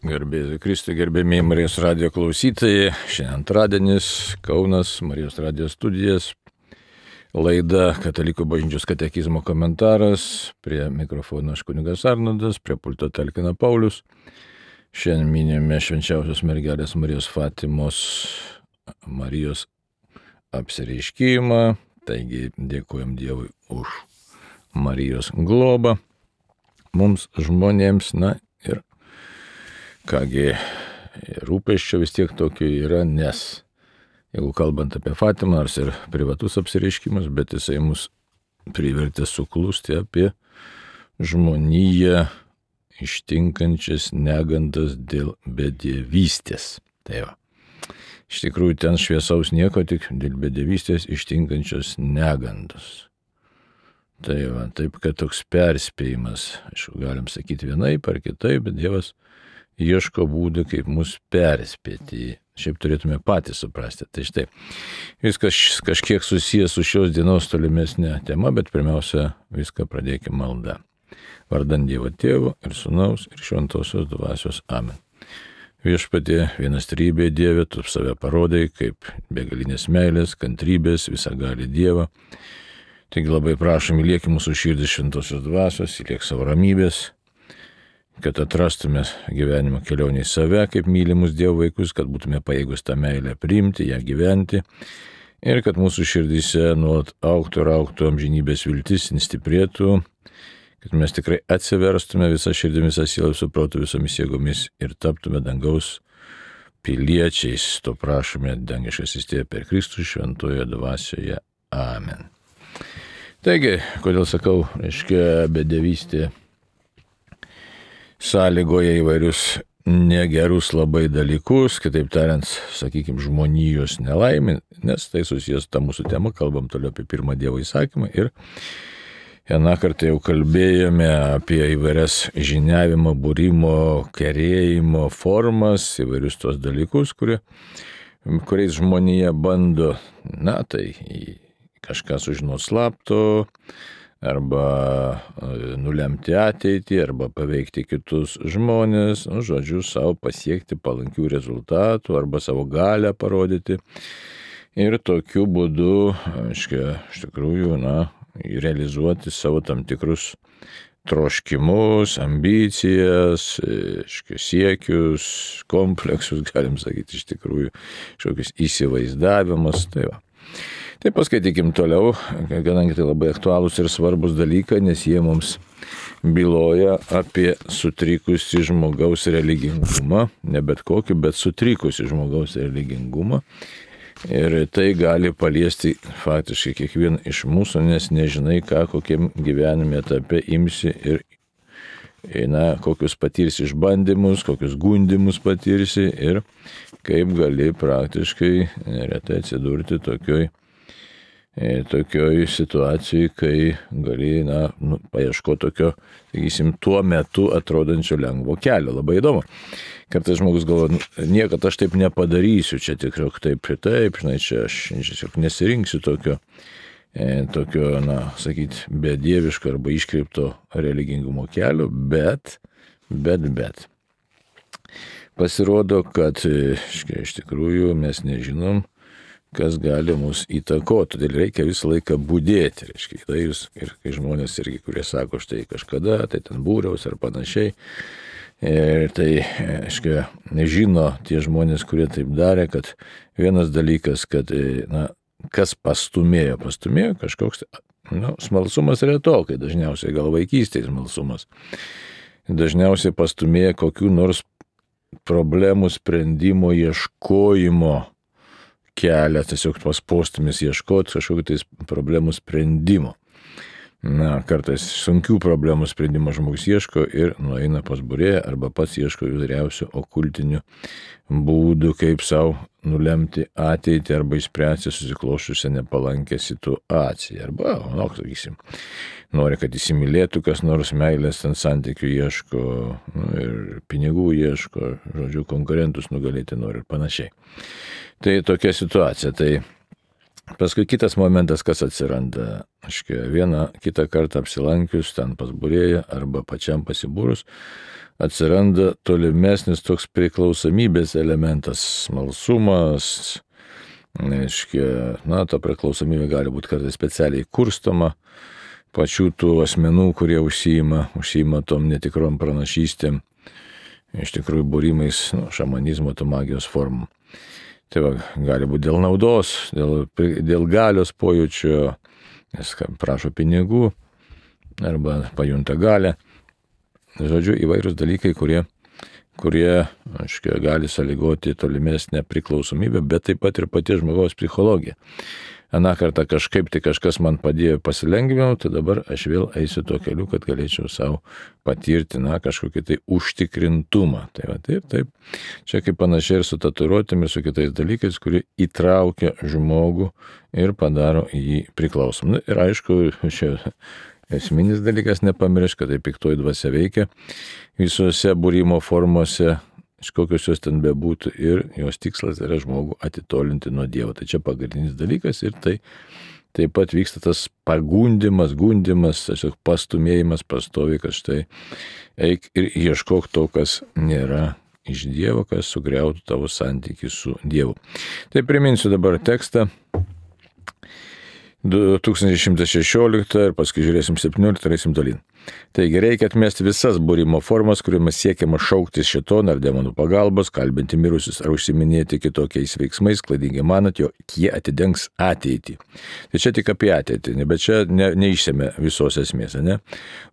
Garbėsiu Kristui, gerbėmiai Marijos radijo klausytojai. Šiandien antradienis, Kaunas, Marijos radijo studijas. Laida Katalikų bažnyčios katekizmo komentaras. Prie mikrofono aš kunigas Arnoldas, prie pulto talkina Paulius. Šiandien minime švenčiausios mergelės Marijos Fatimos Marijos apsireiškimą. Taigi dėkojam Dievui už Marijos globą mums žmonėms. Na ir kągi, rūpesčio vis tiek tokio yra, nes jeigu kalbant apie Fatimą, nors ir privatus apsireiškimas, bet jisai mus privertė suklusti apie žmoniją ištinkančias negandas dėl bedievystės. Tai va. Iš tikrųjų ten šviesaus nieko, tik dėl bedievystės ištinkančios negandos. Tai va, taip kad toks perspėjimas, aišku, galim sakyti vienaip ar kitaip, bet Dievas ieško būdų, kaip mus perspėti. Šiaip turėtume patys suprasti. Tai štai, viskas kažkiek susijęs su šios dienos tolimesnė tema, bet pirmiausia, viską pradėkime malda. Vardan Dievo Tėvo ir Sūnaus ir Šventosios Dvasios. Amen. Viešpatie, vienastrybė Dieve, tu save parodai kaip begalinės meilės, kantrybės, visagalį Dievą. Taigi labai prašom, įliek mūsų širdį Šventosios Dvasios, įliek savo ramybės, kad atrastume gyvenimo kelionį į save, kaip mylimus Dievo vaikus, kad būtume pajėgus tą meilę priimti, ją gyventi ir kad mūsų širdyse nuolat augtų ir augtų amžinybės viltis, stiprėtų, kad mes tikrai atsiverstume visą širdį, visą sielą, visų protų, visomis jėgomis ir taptume dangaus piliečiais. To prašome dangiškasis Tėve per Kristų šventojoje dvasioje. Amen. Taigi, kodėl sakau, reiškia, bedievystė sąlygoja įvairius negerus labai dalykus, kitaip tariant, sakykime, žmonijos nelaimė, nes tai susijęs tą mūsų temą, kalbam toliau apie pirmą Dievo įsakymą ir vieną kartą jau kalbėjome apie įvairias žiniavimo, būrimo, kerėjimo formas, įvairius tos dalykus, kuriais žmonija bando, tai kažką sužinoti slapto, arba nulemti ateitį, arba paveikti kitus žmonės, žodžiu, savo pasiekti palankių rezultatų, arba savo galią parodyti. Ir tokiu būdu, iš tikrųjų, realizuoti savo tam tikrus troškimus, ambicijas, siekius, kompleksus, galim sakyti, iš tikrųjų, kažkokius įsivaizdavimus. Tai paskaitykim toliau, kadangi tai labai aktualūs ir svarbus dalykai, nes jie mums byloja apie sutrikusi žmogaus religingumą, ne bet kokį, bet sutrikusi žmogaus religingumą. Ir tai gali paliesti faktiškai kiekvieną iš mūsų, nes nežinai, kokiam gyvenime etape imsi ir kokius patirsi išbandymus, kokius gundymus patirsi ir kaip gali praktiškai neretai atsidurti tokioj situacijai, kai gali, paieškoti tokio, sakysim, tuo metu atrodančio lengvo kelio. Labai įdomu. Kartais žmogus galvoja, niekad aš taip nepadarysiu, čia tikrai taip, čia aš tiesiog nesirinksiu tokio, sakyti, bedieviško arba iškreipto religingumo kelio, bet. Pasirodo, kad iš tikrųjų mes nežinom, kas gali mus įtakoti, todėl reikia visą laiką budėti. Ir kai žmonės irgi, kurie sako, štai kažkada, tai ten būriaus ar panašiai, ir tai, nežino tie žmonės, kurie taip darė, kad vienas dalykas, kad, kas pastumėjo kažkoks, smalsumas retokai, dažniausiai gal vaikystėje smalsumas, dažniausiai pastumėjo kokių nors problemų sprendimo ieškojimo kelią, tiesiog postūmis ieškoti kažkokių tais problemų sprendimo. Kartais sunkių problemų sprendimo žmogus ieško ir nueina pas būrėją arba pats ieško įvairiausių okultinių būdų, kaip savo nulemti ateitį arba išspręsti susiklošusią nepalankę situaciją. Arba, sakysim, nori, kad įsimylėtų kas nors, meilės ten santykių ieško ir pinigų ieško, žodžiu, konkurentus nugalėti nori ir panašiai. Tai tokia situacija. Tai paskui kitas momentas, kas atsiranda, vieną kitą kartą apsilankius ten pas būrėją arba pačiam pasibūrus, atsiranda tolimesnis toks priklausomybės elementas, smalsumas, reiškia, ta priklausomybė gali būti kartais specialiai kurstoma pačių tų asmenų, kurie užsiima tom netikrom pranašystėm, iš tikrųjų būrimais šamanizmo, to magijos formų. Tai gali būti dėl naudos, dėl galios pojūčio, nes prašo pinigų arba pajunta galę. Žodžiu, įvairūs dalykai, kurie gali sąlygoti tolimesnę priklausomybę, bet taip pat ir paties žmogaus psichologija. Aną kartą kažkas man padėjo pasilengvinau, tai dabar aš vėl eisiu tuo keliu, kad galėčiau savo patirti, kažkokį tai užtikrintumą. Tai taip. Čia kaip panašiai ir su tatuiruotėm ir su kitais dalykais, kurie įtraukia žmogų ir padaro jį priklausomą. Ir aišku, čia esminis dalykas nepamiršk, kad tai piktoji dvasia veikia visose būrimo formose, iš kokios jos ten bebūtų, ir jos tikslas yra žmogų atitolinti nuo Dievo. Tai čia pagrindinis dalykas ir tai taip pat vyksta tas pagundimas, tiesiog pastumėjimas pastoviai, kad štai eik ir ieškok to, kas nėra iš Dievo, kas sugriautų tavo santykį su Dievu. Tai priminsiu dabar tekstą. 2116 ir paskui žiūrėsim 17 ir eisim tolyn. Taigi reikia atmesti visas būrimo formas, kuriomis siekiama šauktis šėtoną ar demonų pagalbos, kalbinti mirusius ar užsiminėti kitokiais veiksmais, klaidingai manot, jog jie atidengs ateitį. Tai čia tik apie ateitį, bet čia neišsėmė visos esmės, ne?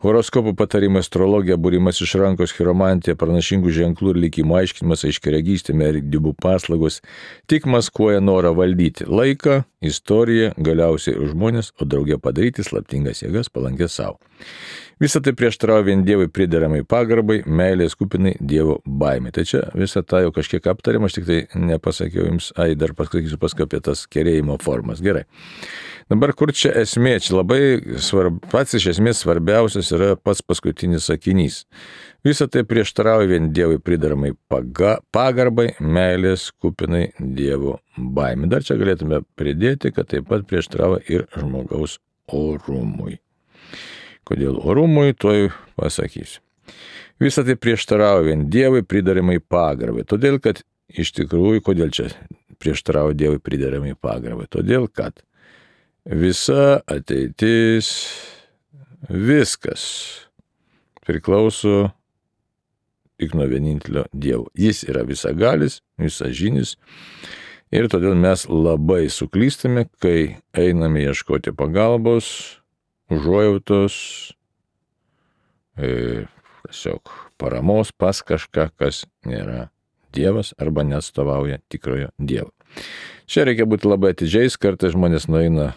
Horoskopų patarimai, astrologija, būrimas iš rankos, chiromantija, pranašingų ženklų ir likimo aiškinimas, aiškiaregystė, dibų paslaugos tik maskuoja norą valdyti laiką, istoriją, galiausiai žmonės, o drauge padaryti slaptingas jėgas palankės savo. Visą tai prieštarauja vien Dievui prideramai pagarbai, meilės kupinai Dievo baimė. Tai čia visą tą jau kažkiek aptarėm, aš tik tai nepasakiau jums, dar pasakysiu paskui apie tas kerėjimo formas. Gerai. Dabar kur čia esmė? Čia labai pats iš esmės svarbiausias yra pats paskutinis sakinys. Visą tai prieštarauja vien Dievui prideramai pagarbai, meilės kupinai Dievo baimė. Dar čia galėtume pridėti, kad taip pat prieštarauja ir žmogaus orumui. Kodėl orumui, toj pasakysiu. Visą tai prieštarauja vien Dievui prideramai pagarbai. Todėl, kad iš tikrųjų, kodėl čia prieštarauja Dievui prideramai pagarbai? Todėl, kad visa ateitis, viskas priklauso tik nuo vienintelio Dievo. Jis yra visagalis, visažinis. Ir todėl mes labai suklystame, kai einame ieškoti pagalbos, užuojautos, tiesiog paramos pas kažką, kas nėra Dievas arba neatstovauja tikrojo Dievo. Čia reikia būti labai atidžiais, kartais žmonės nueina,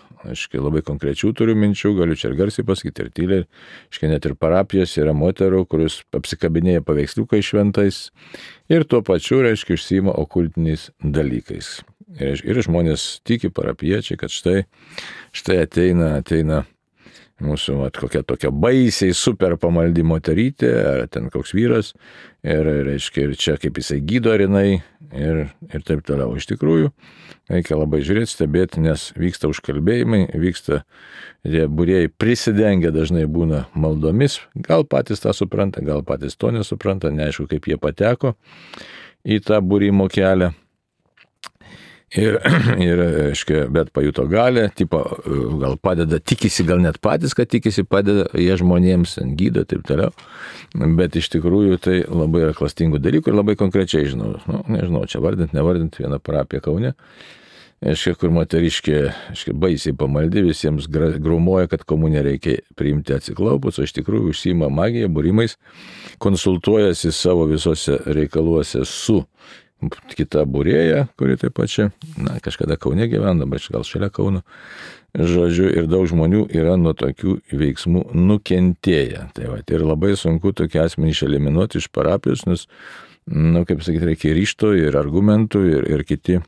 labai konkrečių turiu minčių, galiu čia ir garsiai pasakyti, ir tyliai, net ir parapijos yra moterų, kuris apsikabinėja paveiksliukai šventais ir tuo pačiu, užsiima okultiniais dalykais. Ir žmonės tiki parapiečiai, kad štai ateina mūsų kokia tokia baisiai super pamaldi moterytė, ar ten koks vyras, ir čia kaip jisai gydo ar jinai, ir taip toliau. Iš tikrųjų, reikia labai žiūrėti, stebėti, nes vyksta užkalbėjimai, tie būrėjai prisidengia dažnai būna maldomis, gal patys tą supranta, gal patys to nesupranta, neaišku, kaip jie pateko į tą būrimo kelią. Bet pajuto galę, gal padeda, tikisi, gal net patys, kad tikisi, padeda jie žmonėms, gydo, taip toliau. Bet iš tikrųjų tai labai yra klastingų dalykų ir labai konkrečiai žinau. Nežinau, čia vardint, nevardint, vieną parapiją Kaune. Kur moteriškė, baisiai pamaldi, visiems grūmoja, kad komuniją reikia priimti atsiklaupus, o iš tikrųjų užsiima magija, būrimais, konsultuojasi savo visose reikaluose su kita būrėja, kuri taip pat čia, kažkada Kaune gyvena, bet gal šalia Kauno, žodžiu, ir daug žmonių yra nuo tokių veiksmų nukentėję. Ir labai sunku tokį asmenį išeliminuoti iš parapijos, nes, kaip sakyti, reikia ryžto ir argumentų ir kiti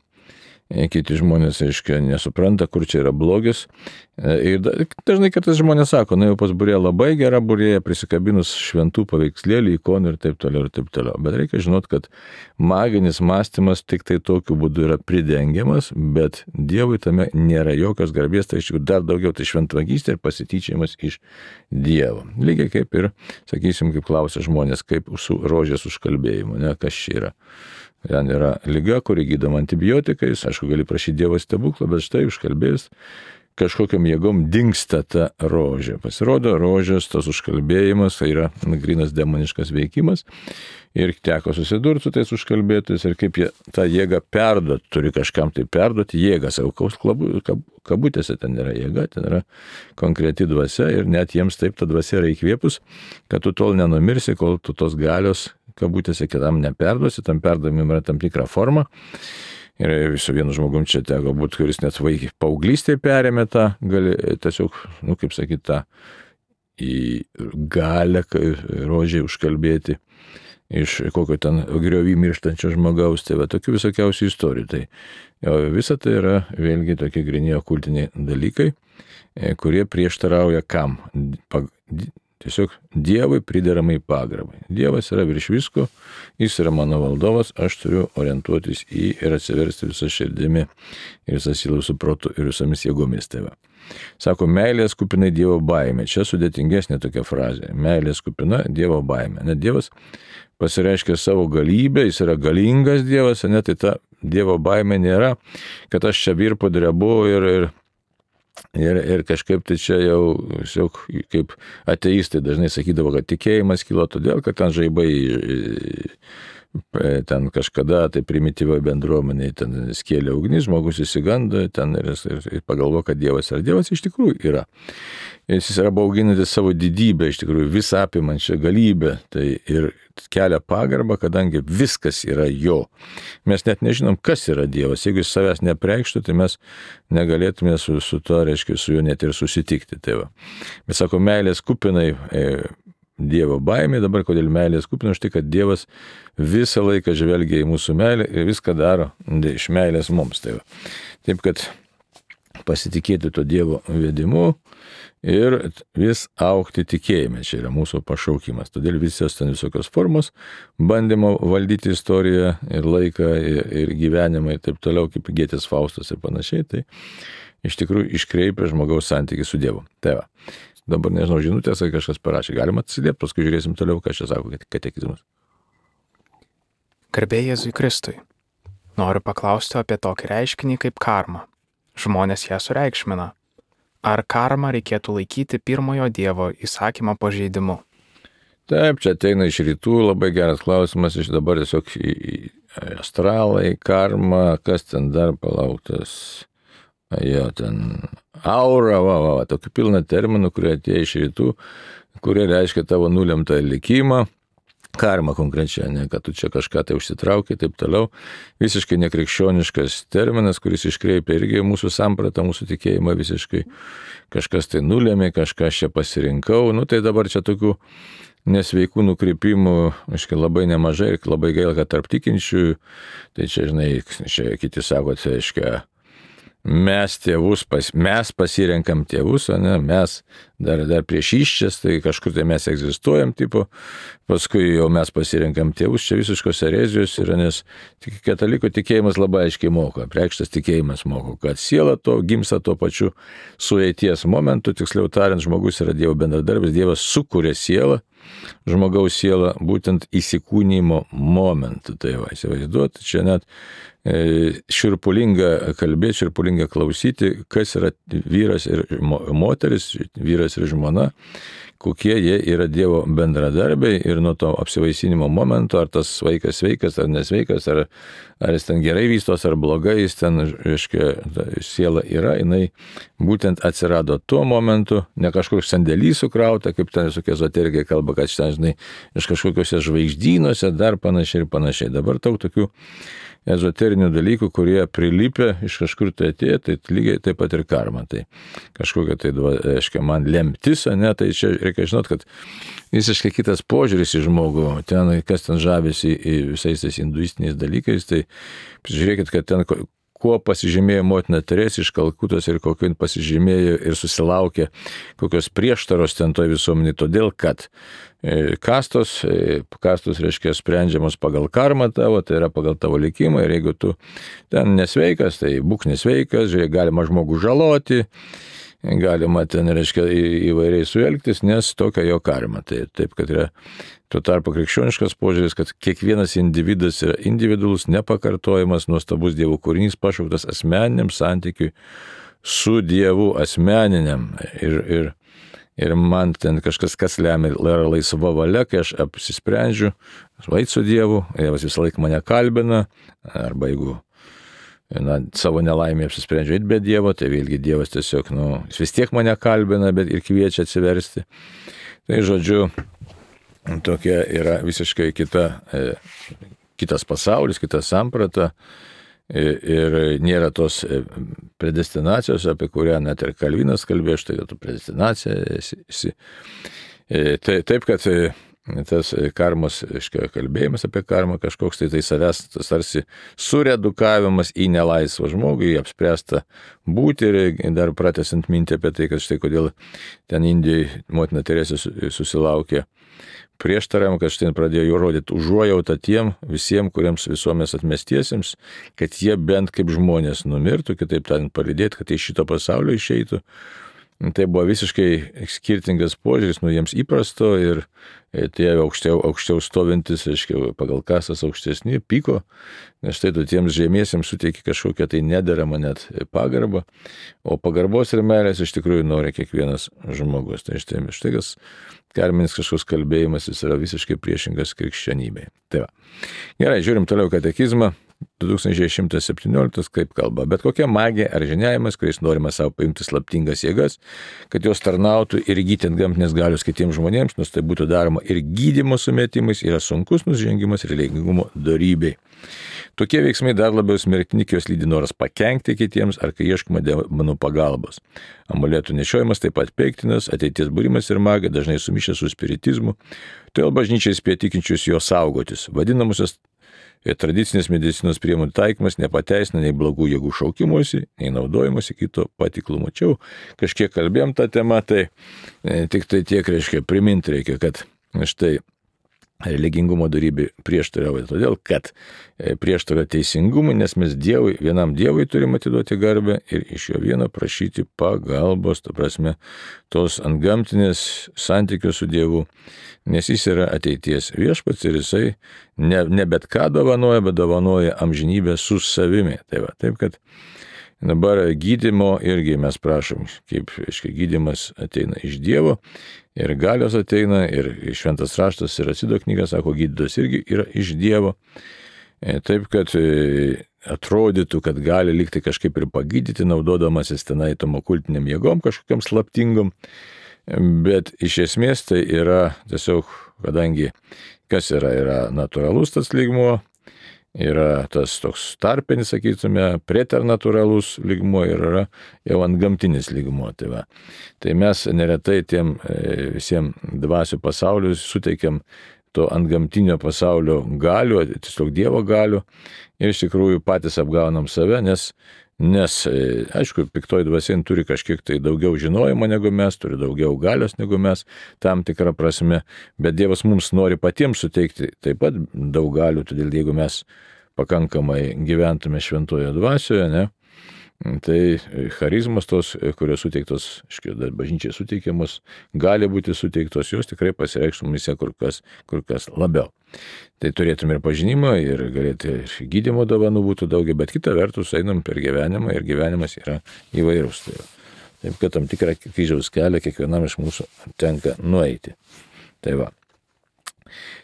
kiti žmonės, aiškiai, nesupranta, kur čia yra blogis. Ir dažnai kartais žmonės sako, jau pas būrėją labai gera būrėja, prisikabinus šventų paveikslėlį, ikonų ir taip toliau, ir taip toliau. Bet reikia žinot, kad maginis mąstymas tik tai tokiu būdu yra pridengiamas, bet Dievui tame nėra jokios garbės, tai iš tikrųjų dar daugiau tai šventvagystė ir pasityčiajimas iš Dievo. Lygiai kaip ir, sakysim, kaip klausia žmonės, kaip su rožės užkalbėjimu, kas čia yra. Ten yra liga, kuri gydoma antibiotikais, aišku, gali prašyti Dievo stebuklą, bet štai užkalbėjus kažkokiam jėgom dingsta ta rožė. Pasirodo, rožės tas užkalbėjimas tai yra grynas demoniškas veikimas ir teko susidurti su tais užkalbėtojais ir kaip jie tą jėgą perduoti, turi kažkam tai perduoti jėgą, savo kabutėse ten yra jėga, ten yra konkreti dvasia ir net jiems taip ta dvasia yra įkvėpus, kad tu tol nenumirsi, kol tu tos galios kabutėse kitam neperduosi, tam perdavimui yra tam tikra forma. Ir su vienu žmogum čia teko būti, kuris net paauglystėje perėmė tą, tiesiog, kaip sakyti, tą į galę rožiai užkalbėti iš kokio ten griovį mirštančio žmogaus, tai va tokių visokiausių istorijų. Tai visa tai yra vėlgi tokie gryni okultiniai dalykai, kurie prieštarauja kam? Tiesiog Dievui prideramai pagarbai. Dievas yra virš visko, jis yra mano valdovas, aš turiu orientuotis į ir atsiversti visą širdimi ir visą sielą su protu ir visomis jėgomis tave. Sako, meilės kupinai Dievo baimė. Čia sudėtingesnė tokia frazė. Meilės kupina Dievo baimė. Net Dievas pasireiškia savo galybę, jis yra galingas Dievas, tai ta Dievo baimė nėra, kad aš čia virpu drebu ir kažkaip tai čia jau kaip ateistai dažnai sakydavo, kad tikėjimas kilo todėl, kad ten žaibai ten kažkada tai primityvioje bendruomenėje ten skėlė ugnis, žmogus įsigando ten ir pagalvo, kad Dievas yra. Dievas iš tikrųjų yra. Jis yra bauginantis savo didybę, iš tikrųjų visą apimančią galybę. Tai ir kelia pagarbą, kadangi viskas yra jo. Mes net nežinom, kas yra Dievas. Jeigu jis savęs nepreikštų, tai mes negalėtume su to, reiškia, su juo net ir susitikti. Tai va. Bet sako, meilės kupinai Dievo baimė, dabar kodėl meilės kupina, už tai, kad Dievas visą laiką žvelgia į mūsų meilę ir viską daro iš meilės mums. Tai va. Taip, kad pasitikėti to Dievo vedimu ir vis augti tikėjime. Čia yra mūsų pašaukimas. Todėl visos ten visokios formos, bandymo valdyti istoriją ir laiką ir gyvenimą ir taip toliau, kaip Gėtės Faustas ir panašiai, tai iš tikrųjų iškreipia žmogaus santykį su Dievu. Tai va. Dabar nežinau, žinutės, kai kažkas parašė. Galima atsiliepti, paskui žiūrėsim toliau, ką čia sako katekizmas. Garbė Jėzui Kristui. Noriu paklausti apie tokį reiškinį kaip karma. Žmonės ją sureikšmina. Ar karmą reikėtų laikyti pirmojo Dievo įsakymo pažeidimu? Taip, čia ateina iš rytų, labai geras klausimas, iš dabar tiesiog astralai, karma, kas ten dar palauktas. Jo, ten aura, tokių pilna terminų, kurie atėjo iš rytų, kurie reiškia tavo nulemtą likimą, karma konkrečiai, ne, kad tu čia kažką tai užsitraukai, taip toliau. Visiškai nekrikščioniškas terminas, kuris iškreipia irgi mūsų sampratą, mūsų tikėjimą visiškai. Kažkas tai nulėmė, kažkas čia pasirinkau, tai dabar čia tokių nesveikų nukrypimų, aiškiai, labai nemažai ir labai gaila, kad tarp tikinčiųjų, tai čia, žinai, čia kiti sako, tai aiškiai, mes pasirenkam tėvus, o ne, mes dar prieš iščias, tai kažkur tai mes egzistuojam, tipo, paskui jau mes pasirenkam tėvus, čia visiškos erezijos yra, nes katalikų tikėjimas labai aiškiai moko, preikštas tikėjimas moko, kad siela to gimsta tuo pačiu sueities momentu, tiksliau tariant, žmogus yra Dievo bendradarbis, Dievas sukuria sielą, žmogaus sielą būtent įsikūnymo momentu, tai va, įsivaizduoti, čia net šiurpulinga kalbėti, šiurpulinga klausyti, kas yra vyras ir moteris, vyras ir žmona, kokie jie yra Dievo bendradarbiai ir nuo to apsivaisinimo momento, ar tas vaikas sveikas ar nesveikas, ar jis ten gerai vystos ar blogai, jis ten, reiškia, siela yra, jinai būtent atsirado tuo momentu, ne kažkoks sandėlys sukrauta, kaip ten visokie ezoterikai kalba, kad šitą, žinai, iš kažkokiuose žvaigždynuose dar panašiai ir panašiai. Dabar daug tokių ezoterinių dalykų, kurie prilipė iš kažkur tai atėjo, tai lygiai taip pat ir karma. Tai kažkokia tai, aiškiai, man lemtis, ne, tai čia reikia žinot, kad visiškai kitas požiūris į žmogų, kas ten žavisi visais tais hinduistiniais dalykais, tai žiūrėkit, kad ten kuo pasižymėjo motina Teresė iš Kalkutos ir kokio pasižymėjo ir susilaukė kokios prieštaros ten toj visuomenė, todėl kad kastos reiškia sprendžiamos pagal karmą tavo, tai yra pagal tavo likimą ir jeigu tu ten nesveikas, tai būk nesveikas, žiūrėk, galima žmogų žaloti, galima ten, reiškia, įvairiai suelgtis, nes tokia jo karma. Tai taip, kad yra tuo tarpu krikščioniškas požiūris, kad kiekvienas individas yra individualus, nepakartojamas, nuostabus Dievo kūrinys, pašauktas asmeniniam santykiui su Dievu asmeniniam. Ir man ten kažkas, kas lemia, yra laisva valia, kai aš apsisprendžiu, eit su Dievu, Dievas visą laiką mane kalbina, arba jeigu savo nelaimę apsisprendžiu eit be Dievo, tai vėlgi Dievas tiesiog, jis vis tiek mane kalbina, bet ir kviečia atsiversti. Tai žodžiu, tokia yra visiškai kitas pasaulis, kita samprata. Ir nėra tos predestinacijos, apie kurią net ir Kalvinas kalbėjo, štai tu predestinacija esi. Taip, kad tas karmos, kalbėjimas apie karmą kažkoks, tai savęs tarsi suredukavimas į nelaisvą žmogų, į apspręstą būti ir dar pratęsiant mintį apie tai, kad štai kodėl ten Indijai motina Teresė susilaukė prieštaravimą, kad štai pradėjo jų rodyti užuojautą tiem visiems, kuriems visuomenės atmestiesiems, kad jie bent kaip žmonės numirtų, kitaip tariant palydėti, kad iš šito pasaulio išeitų. Tai buvo visiškai skirtingas požiūris nuo jiems įprasto ir tie aukščiau stovintis, aiškiai, pagal kasas aukštesni, pyko, nes štai tu tiems žemiesiems suteiki kažkokią tai nederamą net pagarbą, o pagarbos ir meilės iš tikrųjų nori kiekvienas žmogus. Tai štai kas karminis kažkoks kalbėjimas, jis yra visiškai priešingas krikščionybei. Tai va. Gerai, žiūrim toliau katekizmą. 2117 kaip kalba, bet kokia magija ar žiniavimas, kuriais norima savo paimti slaptingas jėgas, kad jos tarnautų ir įgyti antgamtinės galios kitiems žmonėms, nors tai būtų daroma ir gydymo sumetimais, yra sunkus nusižengimas religingumo dorybei. Tokie veiksmai dar labiau smerktini, kai jos lydi noras pakenkti kitiems ar kai ieškoma demonų pagalbos. Amuletų nešiojimas taip pat peiktinas, ateities būrimas ir magija dažnai sumišę su spiritizmu, todėl bažnyčia įspėja tikinčius jo saugotis. Vadinamusios tradicinės medicinos priemonių taikymas nepateisina nei blogų jėgų šaukimuose, nei naudojimuose kito patiklumo. Čia kažkiek kalbėjom tą temą, tai tik tai tiek reiškia priminti reikia, kad štai religingumo dorybė prieštarauja, todėl kad prieštarauja teisingumui, nes mes vienam Dievui turime atiduoti garbę ir iš jo vieno prašyti pagalbos, ta prasme, tos antgamtinės santykios su Dievu, nes jis yra ateities viešpats ir jisai ne bet ką dovanoja, bet dovanoja amžinybę su savimi. Tai va, taip kad dabar gydymo irgi mes prašom, kaip gydymas ateina iš Dievo ir galios ateina ir šventas raštas ir Acido knyga sako, gydytojas irgi yra iš Dievo. Taip, kad atrodytų, kad gali likti kažkaip ir pagydyti, naudodamasis tenai tom okultiniam jėgom kažkokiam slaptingom, bet iš esmės tai yra tiesiog, kadangi kas yra natūralus tas lygmuo, yra tas toks tarpinis, sakytume, preternatūralus lygmuo ir yra jau antgamtinis lygmuo. Tai mes neretai tiem visiems dvasių pasauliu suteikiam to antgamtinio pasaulio galių, tiesiog Dievo galių ir iš tikrųjų patys apgaunam save, nes aišku, piktoji dvasia turi kažkiek tai daugiau žinojimo negu mes, turi daugiau galios negu mes, tam tikrą prasme, bet Dievas mums nori patiems suteikti taip pat daug galių, todėl jeigu mes pakankamai gyventume šventoje dvasioje, ne, tai charizmos tos, kurios suteiktos, bažnyčiai suteikiamos, gali būti suteiktos, jos tikrai pasireikštų mumise kur kas labiau. Tai turėtume ir pažinimą, ir galėtų ir gydymo dovanų būtų daugiau, bet kita vertus einam per gyvenimą ir gyvenimas yra įvairūs. Taip, kad tam tikrą kryžiaus kelią kiekvienam iš mūsų tenka nueiti. Tai va.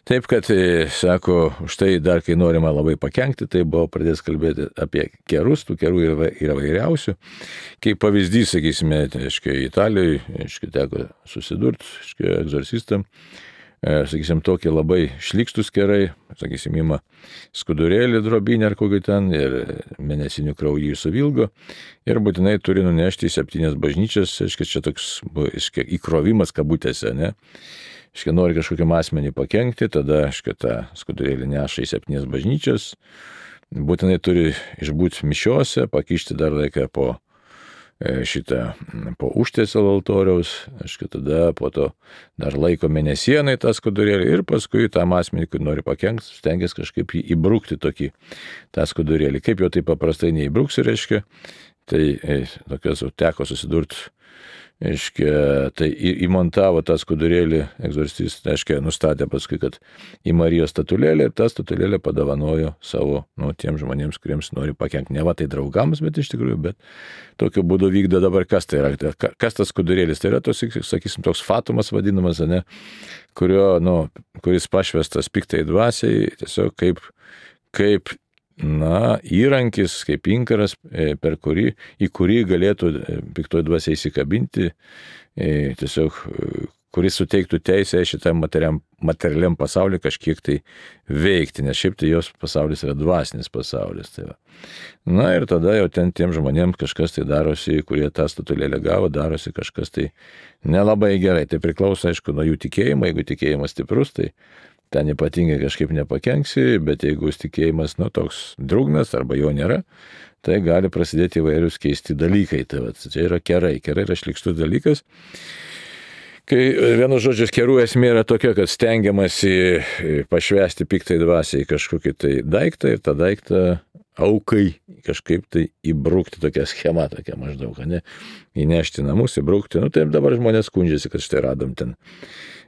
Taip, kad, sako, štai dar kai norima labai pakenkti, tai buvo pradės kalbėti apie kerus, tų kerų yra vairiausių. Kaip pavyzdys, sakysime, Italijoje, teko susidurti, egzorcistam, sakysim, tokie labai šlykštus kerai, sakysim, ima skudurėlį drobinę ar kokį ten ir mėnesinių kraujį suvilgo ir būtinai turi nunešti į 7 bažnyčias, čia toks įkrovimas kabutėse, ne? Nori kažkokiam asmenį pakenkti, tada tą skudurėlį neša į 7 bažnyčias būtinai turi išbūti mišiose, pakišti dar laiką po užtiesalo altoriaus, tada po to dar laiko mėnesienai tą skudurėlį ir paskui tam asmenį, kur nori pakenkti, stengiasi kažkaip jį įbrukti tą skudurėlį. Kaip jau tai paprastai neįbruksi, tai tokios teko susidurti. Tai įmontavo tą skudurėlį egzorcistas, nustatė paskui, kad į Marijos statulėlę ir tą statulėlę padovanojo savo, tiem žmonėms, kuriems nori pakenkti. Ne va tai draugams, bet iš tikrųjų, bet tokiu būdu vykdo dabar, kas tai yra. Kas tas skudurėlis? Tai yra sakysim, toks fatumas vadinamas, kuris pašvestas piktai dvasiai, tiesiog kaip įrankis, kaip inkaras, į kurį galėtų piktoji dvasia įsikabinti, tiesiog kuris suteiktų teisę šitam materialiam pasauliu kažkiek tai veikti, nes šiaip tai jos pasaulis yra dvasinis pasaulis. Tai va. Ir tada jau tiem žmonėms kažkas tai darosi, kurie tą statulėlę gavo, darosi kažkas tai nelabai gerai. Tai priklauso, aišku, nuo jų tikėjimo. Jeigu tikėjimas stiprus, tai ten ypatingai kažkaip nepakenksi, bet jeigu tikėjimas toks drūgnas arba jo nėra, tai gali prasidėti įvairius keisti dalykai. Tai čia yra kerai. Kerai yra šlykštus dalykas. Kai vienu žodžiu kerų esmė yra tokia, kad stengiamasi pašvęsti piktai dvasiai kažkokį tai daiktą ir tą daiktą aukai kažkaip tai įbrukti, tokia schema, tokia maždaug, įnešti namus, įbrukti. Taip dabar žmonės skundžiasi, kad štai radom ten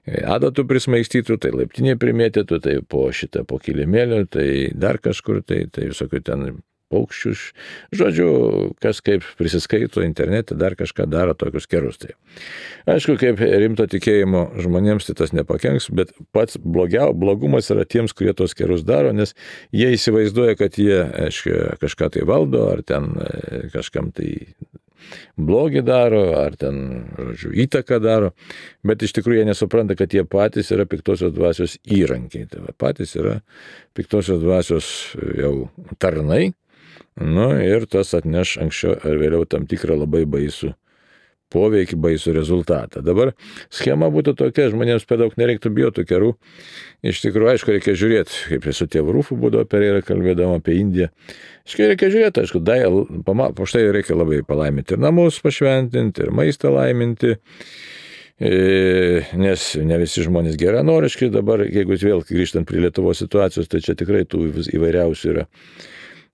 adatų prismaigstytų, tai laiptinė primėtytų, tai po kilimėlio, tai dar kažkur, tai visokių ten paukščių. Žodžiu, kas kaip prisiskaito internete, dar kažką daro tokius kerus. Tai. Aišku, kaip rimto tikėjimo žmonėms tai tas nepakenks, bet pats blogumas yra tiems, kurie tos kerus daro, nes jie įsivaizduoja, kad jie kažką tai valdo, ar ten kažkam tai blogį daro, ar ten, įtaką daro, bet iš tikrųjų jie nesupranta, kad jie patys yra piktosios dvasios įrankiai. Tai patys yra piktosios dvasios jau tarnai, ir tas atneš anksčiau ar vėliau tam tikrą labai baisų poveikį, baisų rezultatą. Dabar schema būtų tokia, žmonėms per daug nereiktų bijoti kerų. Iš tikrųjų, aišku, reikia žiūrėti, kaip su tėvu Rūfu būdavo Pereira kalbėdama apie Indiją. Reikia žiūrėti, aišku, po štai reikia labai palaiminti ir namus pašventinti, ir maistą laiminti, nes ne visi žmonės geranoriški. Dabar, jeigu vėl grįžtant prie Lietuvos situacijos, tai čia tikrai tų įvairiausių yra.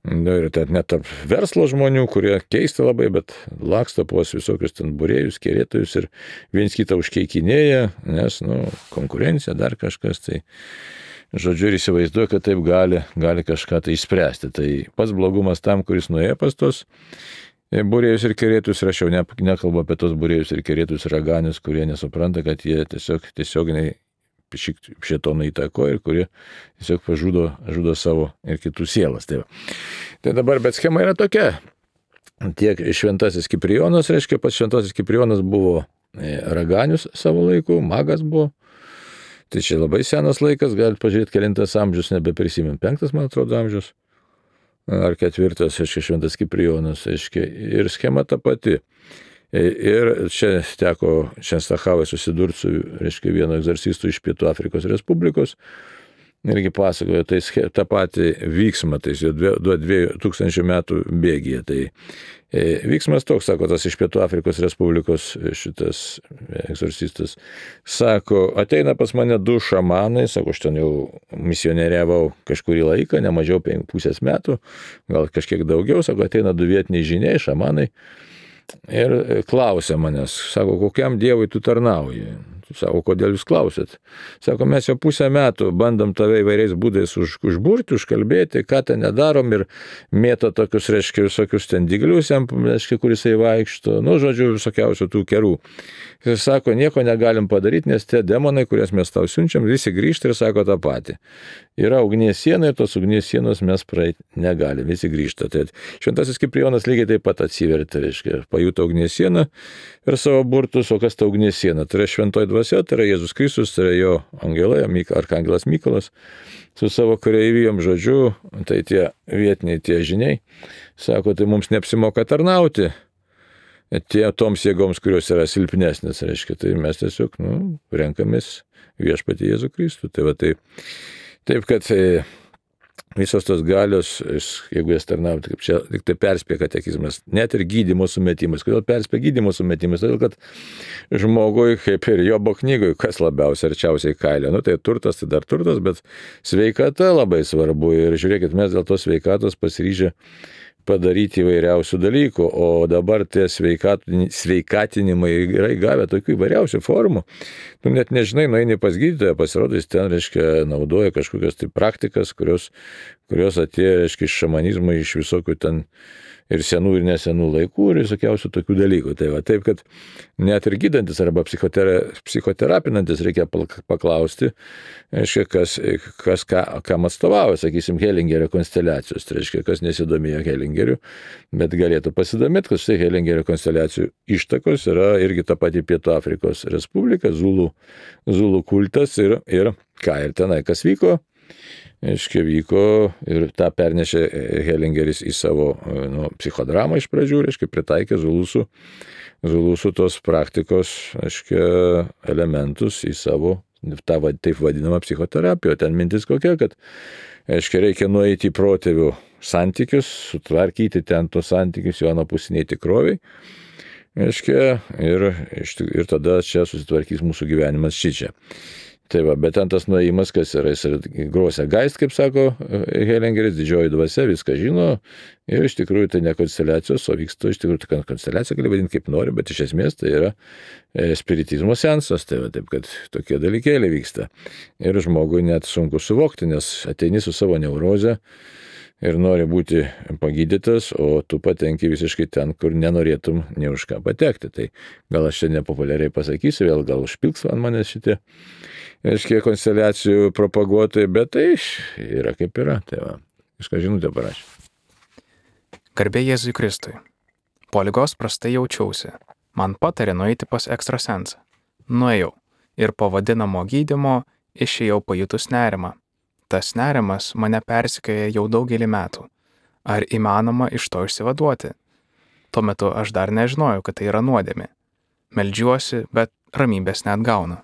Ir net tarp verslo žmonių, kurie keista labai, bet laksto pos visokius ten būrėjus, kerėtojus ir viens kitą užkeikinėja, nes, konkurencija, dar kažkas, tai žodžiu ir įsivaizduoja, kad taip gali kažką tai išspręsti. Tai pats blogumas tam, kuris nuėjo pas tos būrėjus ir kerėtojus, ir aš jau nekalbu apie tos būrėjus ir kerėtojus raganius, kurie nesupranta, kad jie tiesioginiai šėtoną įtakoja ir kurie tiesiog žudo savo ir kitų sielas. Tai dabar, bet schema yra tokia. Tiek šventasis Kiprijonas, pats šventasis Kiprijonas buvo raganius savo laiku, magas buvo. Tai čia labai senas laikas, galite pažiūrėti, kelintas amžius, nebeprisimėm, 5, man atrodo, amžius, ar 4, šventas Kiprijonas, ir schema ta pati. Ir čia teko Čenstachavai susidurti su vienu egzorcistu iš Pietų Afrikos Respublikos. Irgi pasakojo tą patį vyksmą, tai 2000 metų bėgyje. Tai vyksmas toks, sako, tas iš Pietų Afrikos Respublikos šitas egzorcistas. Sako, ateina pas mane 2 šamanai, sako, aš ten jau misionieriavau kažkurį laiką, ne mažiau 5,5 metų, gal kažkiek daugiau, sako, ateina 2 vietiniai žiniai, šamanai. Ir klausia manęs, sako, kokiam dievui tu tarnauji? Sako, kodėl jūs klausėt? Sako, mes jau 5 metų bandom tave įvairiais būdais užburti, užkalbėti, ką ten nedarom, ir mėto tokius, visokius ten dyglius, kur jisai vaikšto, žodžiu, visokiausių tų kerų. Jis sako, nieko negalim padaryti, nes tie demonai, kurias mes tau siunčiam, visi grįžta ir sako tą patį. Yra ugnies siena ir tos ugnies sienos mes praeiti negalim, visi grįžta. Tai šventasis Kiprijonas lygiai taip pat atsivertė, pajuto ugnies sieną ir savo burtus, o kas ta ugnies siena? Tai yra šventoji dvasia, tai yra Jėzus Kristus, tai yra jo angelai, arkangelas Mykolas, su savo kareivijom, žodžiu, tai tie vietiniai, tie žiniai, sako, tai mums neapsimoka tarnauti toms jėgoms, kurios yra silpnesnės, tai mes tiesiog, renkamės viešpatį Jėzų Kristų. Tai va, taip, kad visos tos galios, jeigu jas tarnauti, kaip čia tik tai perspėja katekizmas, net ir gydymo sumetimas. Kodėl perspėja gydymo sumetimas? Todėl, kad žmogui, kaip ir Jobo knygoje, kas labiausiai arčiausiai kailio, tai turtas, tai dar turtas, bet sveikata labai svarbu. Ir žiūrėkit, mes dėl tos sveikatos pasiryžę padaryti įvairiausių dalykų, o dabar tie sveikatinimai yra įgavę tokių įvairiausių formų. Tu net nežinai, nueini pas gydytoją, pasirodo, jis ten, reiškia, naudoja kažkokias tai praktikas, kurios atėjo, reiškia, iš šamanizmo, iš visokių ten ir senų ir nesenų laikų ir visokiausių tokių dalykų. Tai va, taip, kad net ir gydantis arba psichoterapinantis reikia paklausti, reiškia, kam atstovauja, sakysim, Hellingerio konsteliacijos. Tai reiškia, kas nesidomėjo Hellingeriu, bet galėtų pasidomėti, kad štai Hellingerio konsteliacijų ištakos yra irgi ta pati Pietų Afrikos Respublika, Zulų kultas ir tenai kas vyko. Aiškiai vyko ir tą pernešė Hellingeris į savo psichodramą iš pradžių, aiškiai pritaikė Zulusų tos praktikos, aiškiai, elementus į savo tą taip vadinamą psichoterapiją. Ten mintis kokia, kad, aiškiai, reikia nueiti į protėvių santykius, sutvarkyti ten tos santykius jo anapusiniai tikroviai, aiškiai, ir tada čia susitvarkys mūsų gyvenimas šičia. Tai va, bet ten tas nuėjimas, kas yra, jis yra grosia geist, kaip sako Hellingeris, didžioji dvasia, viską žino ir iš tikrųjų tai ne konsteliacijos, o vyksta iš tikrųjų tai konsteliacija, gali vadinti kaip nori, bet iš esmės tai yra spiritizmo seansas, tai va, taip kad tokie dalykėliai vyksta. Ir žmogui net sunku suvokti, nes ateini su savo neuroze ir nori būti pagydytas, o tu patenki visiškai ten, kur nenorėtum nei už ką patekti. Tai gal aš čia nepopuliariai pasakysiu, vėl gal užpilks ant manęs šitie, reiškia, konsteliacijų propaguotojai, bet tai yra kaip yra. Tai va, kažką žinutę parašė. Garbė Jėzui Kristui. Po ligos prastai jaučiausi. Man patarė nueiti pas ekstrasensą. Nuėjau ir po vadinamo gydymo išėjau pajutus nerimą. Tas nerimas mane persekioja jau daugelį metų. Ar įmanoma iš to išsivaduoti? Tuo metu aš dar nežinojau, kad tai yra nuodėmė. Meldžiuosi, bet ramybės neatgaunu.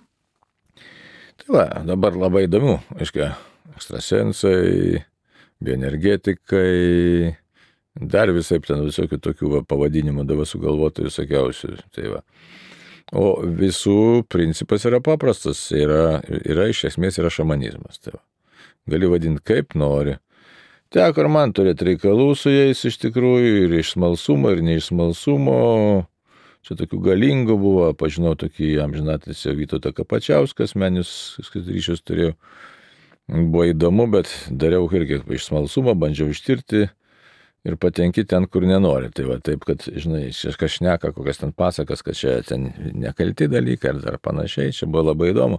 Tai va, dabar labai įdomu, aiškiai, ekstrasensai, bioenergetikai, dar visai ten visokių tokių pavadinimų dabar sugalvoti visokiausių. Tai va. O visų principas yra paprastas, yra iš esmės yra šamanizmas. Tai va. Gali vadinti kaip nori. Teko ir man turėti reikalų su jais iš tikrųjų, ir iš smalsumo, ir ne iš smalsumo. Čia tokių galingų buvo, pažinau tokį amžinatilsį Vytautą Kapačiauską, asmeninius ryšius turėjau. Buvo įdomu, bet dariau irgi iš smalsumo, bandžiau ištirti ir patenki ten, kur nenori. Tai va, taip, kad, žinai, kažkas šneka, kokias ten pasakas, kad čia ten nekalti dalykai ar dar panašiai, čia buvo labai įdomu.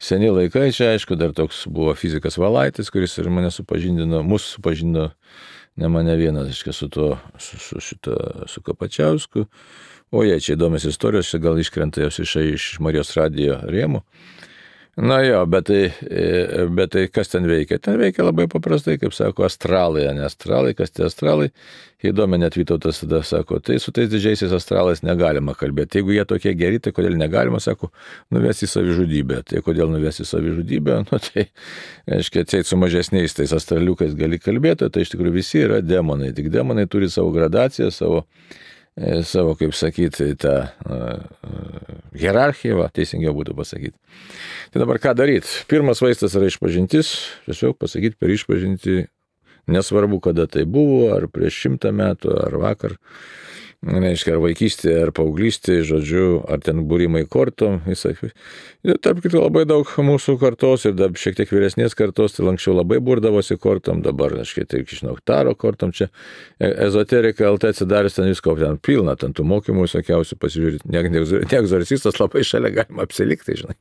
Seni laikai, čia aišku, dar toks buvo fizikas Valaitis, kuris ir mane supažindino, mūsų supažindino, ne mane vienas, su Kapačiausku. O jie čia įdomios istorijos, čia gal iškrenta jos iš Marijos radijo rėmų. Na jo, bet tai kas ten veikia? Ten veikia labai paprastai, kaip sako, astralai, ne astralai, kas tie astralai. Įdomi net Vytautas tada sako, tai su tais didžiaisiais astralais negalima kalbėti. Jeigu jie tokie geri, tai kodėl negalima, sako, nuvesti į savižudybę. Tai kodėl nuvesti į savižudybę? Nu tai, aiškiai, atseit su mažesniais tais astraliukais gali kalbėti, tai iš tikrųjų visi yra demonai. Tik demonai turi savo gradaciją, savo, kaip sakyti, tą hierarchiją, teisingiau būtų pasakyti. Tai dabar ką daryti? Pirmas vaistas yra išpažintis, tiesiog pasakyti per išpažinti, nesvarbu, kada tai buvo, ar prieš 100 metų, ar vakar, reiškia, ar vaikystė, ar paauglystė, žodžiu, ar ten būrimai kortom, visai. Ir tarp kitų labai daug mūsų kartos ir dar šiek tiek vyresnės kartos, tai anksčiau labai burdavosi kortom, dabar, aiškiai, tai, žinau, taro kortom, čia ezoterika LT atsidaręs ten visko, ten pilna, ten tų mokymų visokiausių pasižiūrėti, ne egzorcistas labai šalia galima apsilikti, žinai.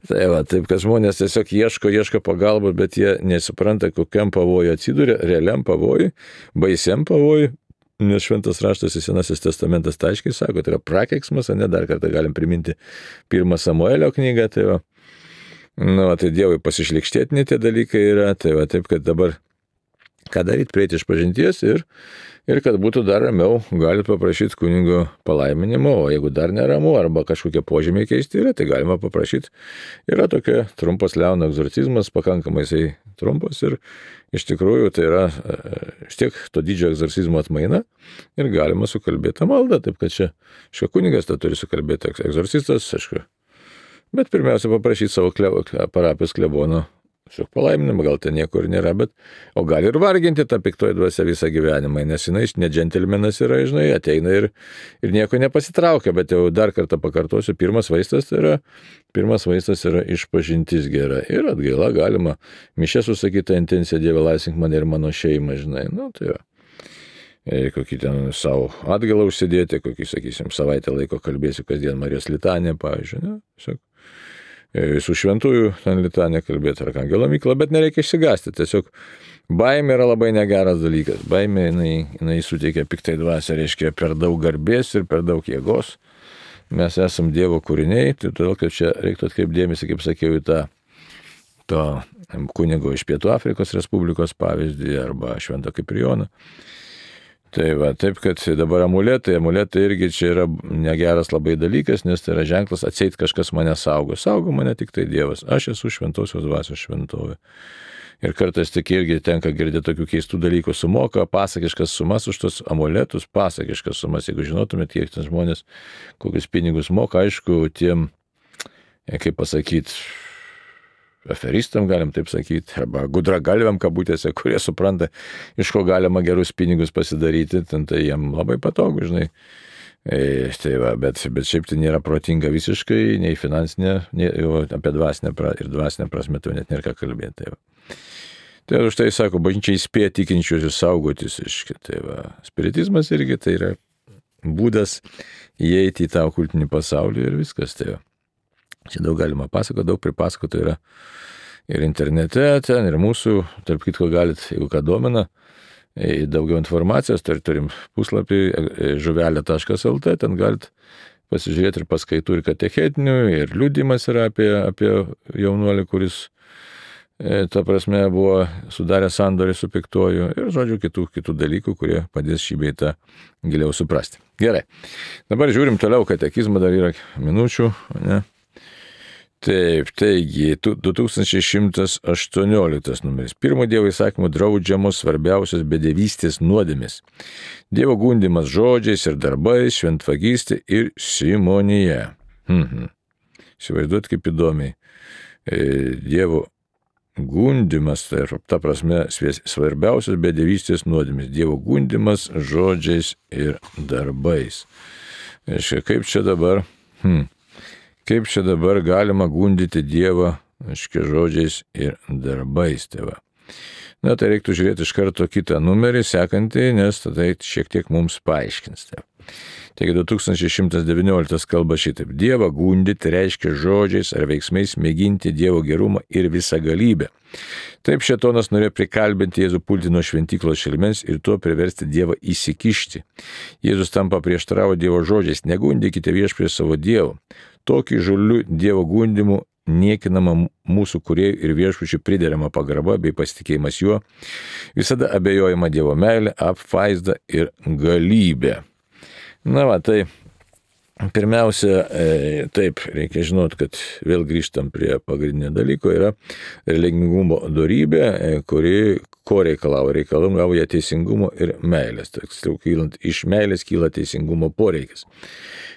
Tai va, taip, kad žmonės tiesiog ieško pagalbos, bet jie nesupranta, kokiam pavojui atsiduria, realiam pavojui, baisiam pavojui. Nes Šventas raštas į Senasis testamentas tai aiškiai sako, tai yra prakeiksmas, ne dar kartą galim priminti 1 Samuelio knygą, tai va, tai Dievui pasišlikštėtini tie dalykai yra, tai va, taip, kad dabar ką daryti, prieiti iš pažinties ir kad būtų dar ramiau, galite paprašyti kunigo palaiminimo, o jeigu dar neramu arba kažkokie požymiai keisti yra, tai galima paprašyti. Yra tokia trumpas Leono egzorcizmas, pakankamai jisai trumpos ir iš tikrųjų tai yra vis tiek to didžiojo egzorcizmo atmaina ir galima sukalbėti maldą, taip kad čia, aišku, kunigas tą turi sukalbėti, egzorcistas, aišku, bet pirmiausia paprašyti savo parapijos klebono palaiminimą, gal ten nieko ir nėra, o gali ir varginti tą piktoji dvasia visą gyvenimą, nes jinai ne džentelmenas yra, žinai, ateina ir nieko nepasitraukia, bet jau dar kartą pakartosiu, pirmas vaistas yra išpažintis gera ir atgaila galima mišę susakytą intenciją, Dieve laisvink mane ir mano šeimą, žinai, tai va. Kokį ten savo atgalą užsidėti, kokį, sakysim, savaitę laiko kalbėsiu kasdien Marijos litaniją, pavyzdžiui, tiesiog visų šventųjų ten litaniją kalbėti, Arkangelo Mykolą, bet nereikia išsigąsti, tiesiog baimė yra labai negeras dalykas, baimė jinai suteikia piktai dvasią, reiškia per daug garbės ir per daug jėgos, mes esam Dievo kūriniai, tai todėl, kad čia reiktų atkreipti dėmesį, kaip sakiau, į to kunigo iš Pietų Afrikos Respublikos pavyzdį arba Švento Kiprijono. Tai va, taip, kad dabar amuletai irgi čia yra negeras labai dalykas, nes tai yra ženklas, atseit kažkas mane saugo mane tik tai Dievas, aš esu šventosios dvasios šventovė. Ir kartais tik irgi tenka girdėti tokių keistų dalykų, sumoka pasakiškas sumas už tos amuletus, pasakiškas sumas, jeigu žinotumėt, kiek ten žmonės kokius pinigus moka, aišku, tiem, kaip pasakyti, aferistam, galim taip sakyti, arba gudragalviam kabutėse, kurie supranta, iš ko galima gerus pinigus pasidaryti, tai jiem labai patogu, žinai. Tai va, bet šiaip tai nėra protinga visiškai, nei finansinė, nei apie dvasinę ir dvasinę prasme tai net nėra ką kalbėti. Tai už tai sako, bažnyčia įspėja tikinčiuosius saugotis, tai va, spiritizmas irgi tai yra būdas įeiti į tą okultinį pasaulį ir viskas, tai va. Čia daug galima pasakoti, daug pripasakoti yra ir internete, ten ir mūsų, tarp kitko galit, jeigu ką domina, daugiau informacijos, tai turim puslapį žuvelė.lt, ten galit pasižiūrėti ir paskaitų ir katechetinių, ir liudijimas yra apie jaunuolį, kuris, ta prasme, buvo sudarę sandorį su piktuoju ir, žodžiu, kitų dalykų, kurie padės šį bei tą giliau suprasti. Gerai, dabar žiūrim toliau katekizmą, dar yra minučių, ne? Taip, taigi, 2118 numeris. Pirmo Dievo įsakymų draudžiamos svarbiausios bedevystės nuodėmės. Dievo gundimas žodžiais ir darbais, šventvagystė ir simonija. Įsivaizduot, kaip įdomiai. Dievo gundimas, tai ta prasme, svarbiausios bedevystės nuodėmės. Dievo gundimas žodžiais ir darbais. Kaip čia dabar... Kaip čia dabar galima gundyti Dievą, žodžiais ir darbais, tėva. Na, tai reiktų žiūrėti iš karto kitą numerį, sekantį, nes tada šiek tiek mums paaiškins. Tėva. Taigi 2119 kalba šitaip. Dievą gundyti reiškia žodžiais ar veiksmais mėginti Dievo gerumą ir visagalybę. Taip šėtonas norėjo prikalbinti Jėzų pulti nuo šventyklos šelmens ir tuo priversti Dievą įsikišti. Jėzus tam paprieštaravo Dievo žodžiais, negundykite viešpaties savo Dievo. Tokį žulių Dievo gundimų niekinama mūsų kūrėjų ir viešpačių priderama pagarba bei pasitikėjimas juo, visada abejojama Dievo meilė, apvaizda ir galybė. Na va, tai pirmiausia, taip, reikia žinoti, kad vėl grįžtam prie pagrindinio dalyko, yra religingumo dorybė, kuri ko reikalauja teisingumo ir meilės. Tiksliau, iš meilės kyla teisingumo poreikis.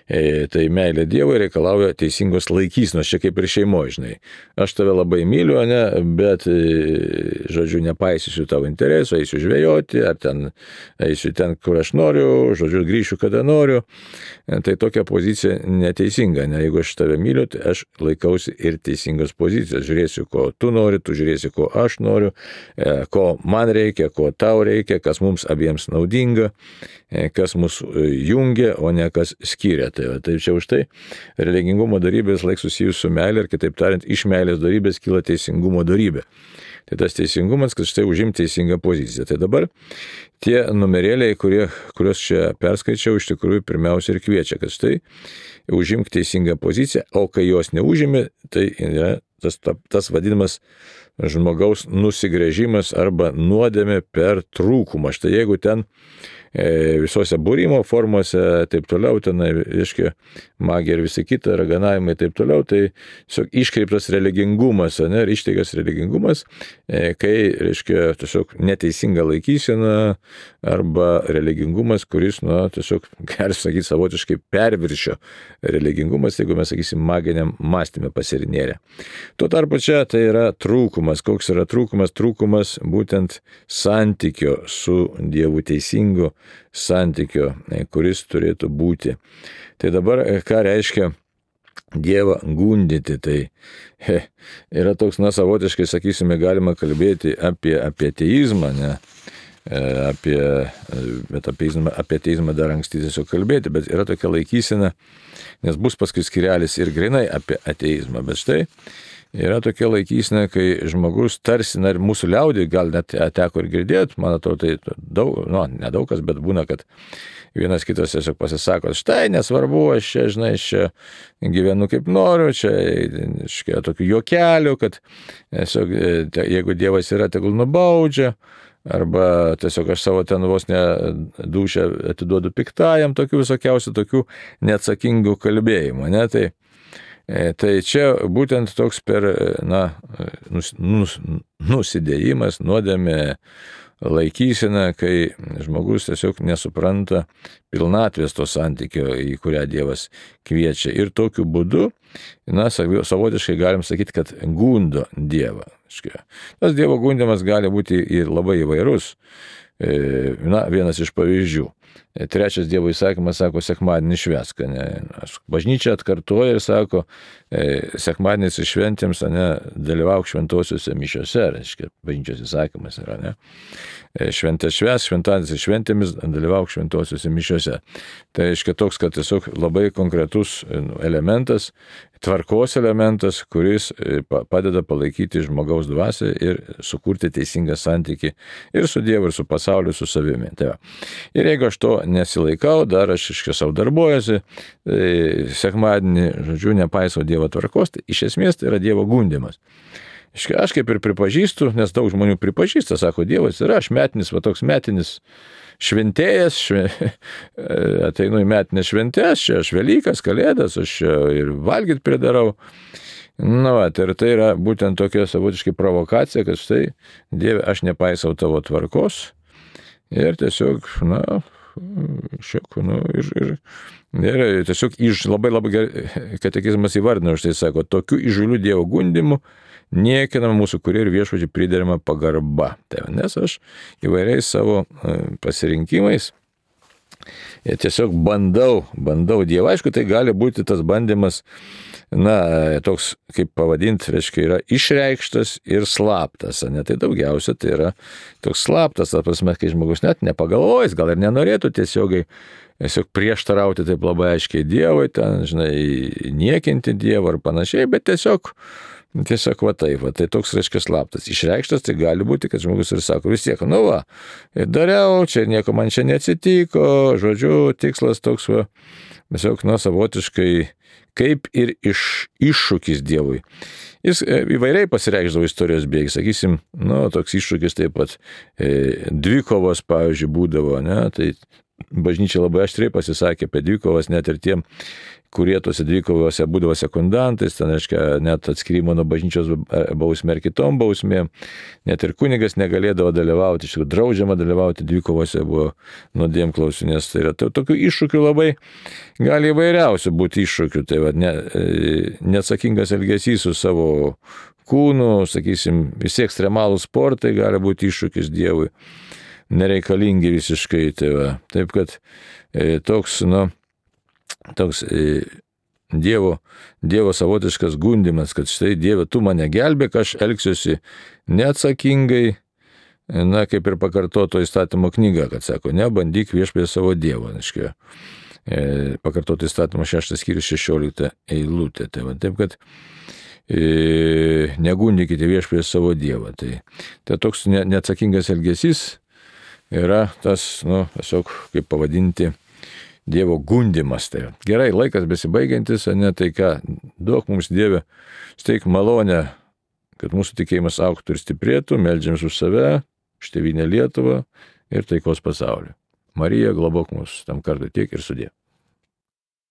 Tai meilė Dievui reikalauja teisingos laikysenos, čia kaip ir šeimoje, žinai. Aš tave labai myliu, ne, bet, žodžiu, nepaisysiu tavo interesų, eisiu žvejoti, ar eisiu ten, kur aš noriu, žodžiu, grįšiu, kada noriu. Tai tokia pozicija neteisinga, ne, jeigu aš tave myliu, tai aš laikausi ir teisingos pozicijos. Žiūrėsiu, ko tu nori, tu žiūrėsi, ko aš noriu, ko man reikia, ko tau reikia, kas mums abiems naudinga, kas mus jungia, o ne kas skiria. Tai čia už tai religingumo dorybės laik susijus su meilė ir kitaip tariant, iš meilės dorybės kyla teisingumo dorybė. Tai tas teisingumas, kad štai užimti teisingą poziciją. Tai dabar tie numerėliai, kuriuos čia perskaičiau, iš tikrųjų pirmiausia ir kviečia, kad štai užimk teisingą poziciją, o kai jos neužimi, tai yra tas vadinamas žmogaus nusigręžimas arba nuodėmė per trūkumą. Štai jeigu ten visose būrimo formose, taip toliau, ten, reiškia, magija ir visi kita, raganavimai, taip toliau, tai tiesiog iškreiptas religingumas, ir išteigas religingumas, kai, reiškia, tiesiog neteisinga laikysena arba religingumas, kuris, tiesiog, galim sakyti, savotiškai perviršio religingumas, jeigu mes, sakysim, maginiam mąstymė pasirinėrė. Tuo tarpu čia tai yra trūkumas. Koks yra trūkumas? Trūkumas būtent santykio su Dievu, teisingo santykio, kuris turėtų būti. Tai dabar, ką reiškia Dievą gundyti, tai yra toks, savotiškai, sakysime, galima kalbėti apie ateizmą, bet apie ateizmą dar anksti tiesiog kalbėti, bet yra tokia laikysena, nes bus paskui skirelis ir grinai apie ateizmą, bet štai yra tokia laikysena, kai žmogus tarsi, ir mūsų liaudį gal net teko ir girdėti, man atrodo, tai daug, nedaug kas, bet būna, kad vienas kitas tiesiog pasisako, štai nesvarbu, aš čia gyvenu kaip noriu, čia tokių juokelių, kad tiesiog, jeigu Dievas yra, tegul nubaudžia, arba tiesiog aš savo ten vos ne dūšią atiduodu piktajam, tokių visokiausių, tokių neatsakingų kalbėjimų, Tai čia būtent toks per, nusidėjimas, nuodėmė, laikysena, kai žmogus tiesiog nesupranta pilnatvės to santykio, į kurią Dievas kviečia. Ir tokiu būdu, savotiškai galim sakyti, kad gundo Dievą. Tas Dievo gundimas gali būti ir labai įvairus. Vienas iš pavyzdžių. Trečias Dievo įsakymas sako, sekmadienį švęsk. Bažnyčia atkartoja ir sako, sekmadienis šventėms, dalyvauk šventosiuose mišiose, reiškia, bažnyčios įsakymas yra, Šventės švęsk, šventadienis šventėmis, dalyvauk šventosiuose mišiose. Tai reiškia toks, kad tiesiog labai konkretus elementas, tvarkos elementas, kuris padeda palaikyti žmogaus dvasią ir sukurti teisingą santykį ir su Dievu, ir su pasauliu, su savimi. Ir jeigu aš to nesilaikau, dar aš savo darbuojuosi, sekmadienį, nepaisau Dievo tvarkos, tai iš esmės tai yra Dievo gundimas. Aš kaip ir pripažįstu, nes daug žmonių pripažįsta, sako, Dievas yra, aš metinis, toks metinis šventėjas, ateinu į metinės šventės, čia aš Velykas, Kalėdas, aš ir valgyti pridarau. Ir tai yra būtent tokia savotiškai provokacija, kad štai, Dieve, aš nepaisau tavo tvarkos ir tiesiog, ir tiesiog labai gerai katekizmas įvardina, už tai sako, tokių įžūlių Dievo gundimų niekinama mūsų kurie ir viešpačiui priderama pagarba. Nes aš įvairiais savo pasirinkimais tiesiog bandau Dievą. Aišku, tai gali būti tas bandymas, toks, kaip pavadinti, reiškia, yra išreikštas ir slaptas. Tai daugiausia tai yra toks slaptas, ta prasme, kai žmogus net nepagalvojęs, gal ir nenorėtų tiesiog prieštarauti taip labai aiškiai Dievui, niekinti Dievą ar panašiai, bet tiesiog tai toks, reiškia, slaptas. Išreikštas tai gali būti, kad žmogus ir sako, vis tiek, dariau, čia nieko man čia neatsitiko, žodžiu, tikslas toks, tiesiog, savotiškai, kaip ir iššūkis Dievui. Jis įvairiai pasireikšdavo istorijos bėgiai, sakysim, toks iššūkis taip pat dvikovos, pavyzdžiui, būdavo, tai bažnyčia labai aštriai pasisakė apie dvikovas, net ir tiem, kurie tose dvikovose būdavo sekundantais, ten, reiškia, net atskirimo nuo bažnyčios bausmė ir kitom bausmėm, net ir kunigas negalėdavo dalyvauti, iš tikrųjų draudžiama dalyvauti dvikovose buvo nuodėmklausių, nes tai yra tokių iššūkių labai gali įvairiausių būti iššūkių, tai neatsakingas elgesys su savo kūnu, sakysim, visi ekstremalų sportai gali būti iššūkis Dievui, nereikalingi visiškai, taip kad toks Dievo savotiškas gundimas, kad štai Dieve, tu mane gelbėk, aš elgsiuosi neatsakingai, kaip ir pakartoto įstatymo knyga, kad sako, nebandyk viešpatį savo Dievo, pakartoto įstatymo 6 skyrius 16 eilutė, taip kad negundykite viešpatį savo Dievą, tai toks neatsakingas elgesys yra tas, tiesiog, kaip pavadinti, Dievo gundimas. Tai gerai, laikas besibaigiantis, tai ką, duok mums Dieve, steik malonę kad mūsų tikėjimas augtų ir stiprėtų, meldžiamės už save, už tėvynę Lietuvą ir taikos pasaulį. Marija, globok mus tam kartui tiek ir sudie.